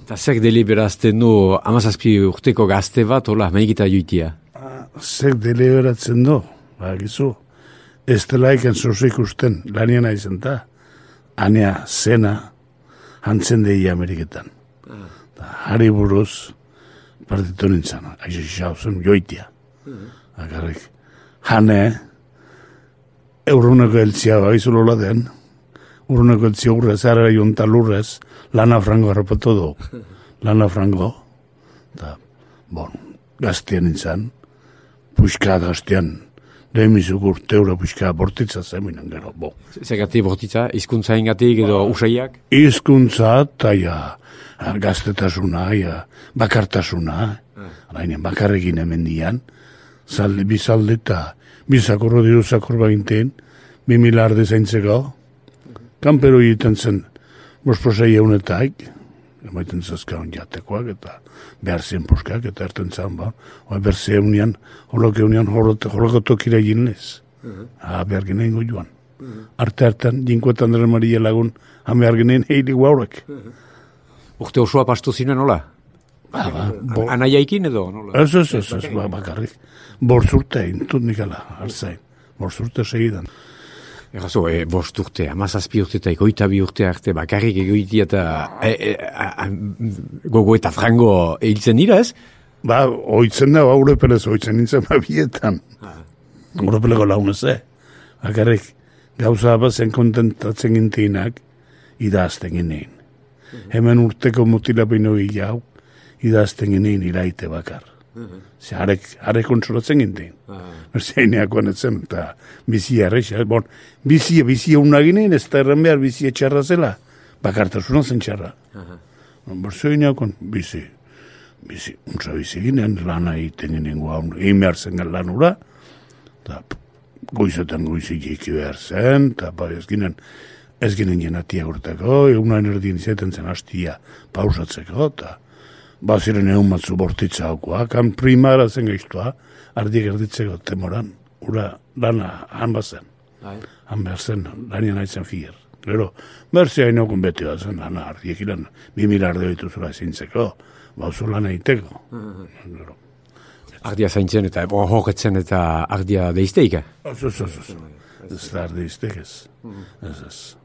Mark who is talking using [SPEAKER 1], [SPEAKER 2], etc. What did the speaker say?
[SPEAKER 1] Eta zer deliberazten du 17 urteko gazte bat, hola, maikita joitia?
[SPEAKER 2] Zer deliberatzen du, gizu. Ez dela ikan zozik usten, laniena izan da. Anea zena, hantzen dei Ameriketan. Hari buruz, partitu nintzen, aixixauzen joitia. Akarrik, hane, euruneko eltzia baizulola den, uruneko eltzia urrez, ara jonta lurrez, lana frango harrapatu du. Lana frango, eta, gaztean nintzen, puxka gaztean, demizuk urteura puxka bortitza zeminen gero,
[SPEAKER 1] Zergatik bortitza, hizkuntza ingatik edo usaiak?
[SPEAKER 2] Hizkuntza eta gaztetasuna, bakartasuna, arainen bakarrekin hemen dian, bizalde eta bizakorro diruzakor baginten, 2000 arde zaintzeko, kanpero egiten zen, bosposei eunetaik, emaiten zazkaun jatekoak, eta behar zen poskak, eta erten zan, behar zen eunian, holoke eunian, holokotokira ginez, behar ginen joan. Arte-artean, jinkoetan dara Maria lagun, behar ginen heili guaurek.
[SPEAKER 1] Urte osoa pastu zinen, nola? Anaiaikin edo, nola?
[SPEAKER 2] Ez, bakarrik. Borzurte, intut nikala, hartzain. Borzurte segidan.
[SPEAKER 1] Errazo, bosturte, 17 urte eta 22 urte arte bakarrik egoitia eta gogo eta frango hiltzen dira, ez?
[SPEAKER 2] Oitzen da, Urepelez oitzen nintzen bietan. Urepeleko launez, bakarrik gauza bazen kontentatzen ginteinak idazten ginein. Hemen urteko mutilapeino jau, idazten ginein iraite bakar. Harek kontsolatzen gintein. Zereineakoan etzen, eta bizia errexea. Bizia unaginein, ez da erran behar bizia txarra zela. Bakartasuna zen txarra. Zereineakoan bizi. Untza bizi ginen, lana egiten ginen guaun, egin behar zen lan ura, eta goizetan goizik eki behar zen, eta ez ginen jenatia urteko, egunain erdien izaten zen hastia pausatzeko, eta baziren egun batzu bortitza haukoa, kan primara zen gaiztua, ardiek erditzeko temoran, ura lana han bazen. Han behar zen, lanien haitzen fier. Gero, berzea inokun beti bat zen, lana ardiek ilan, 2000 arde hoitu zura zintzeko, bauzu lan egiteko.
[SPEAKER 1] Ardia zaintzen eta horretzen eta ardia deizteika?
[SPEAKER 2] Ez da ardia iztek ez. Ez.